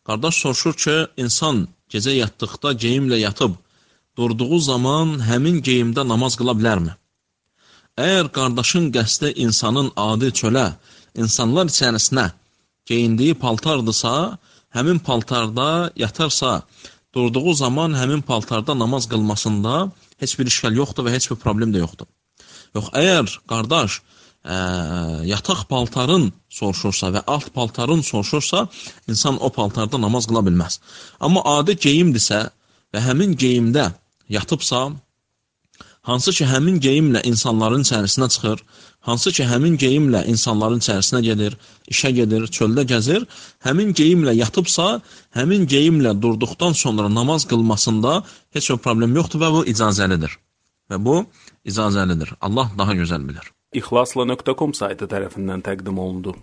Qardaş soruşur ki, insan gecə yatdıqda geyimlə yatıb, durduğu zaman həmin geyimdə namaz qıla bilərmi? Əgər qardaşın qəsdi insanın adi çölə, insanlar içərisinə geyindiyi paltardırsa, həmin paltarda yatarsa, durduğu zaman həmin paltarda namaz qılmasında heç bir işgal yoxdur və heç bir problem də yoxdur. Yox, əgər qardaş yataq paltarın soruşursa və alt paltarın soruşursa, insan o paltarda namaz qıla bilməz. Amma adi geyimdirsə və həmin geyimdə yatıbsa, hansı ki həmin geyimlə insanların içərisinə çıxır, hansı ki həmin geyimlə insanların içərisinə gedir, işə gedir, çöldə gəzir, həmin geyimlə yatıbsa, həmin geyimlə durduqdan sonra namaz qılmasında heç bir problem yoxdur və bu icazəlidir. Və bu icazəlidir. Allah daha gözəl bilir. İxlasla.com saytı tərəfindən təqdim olundu.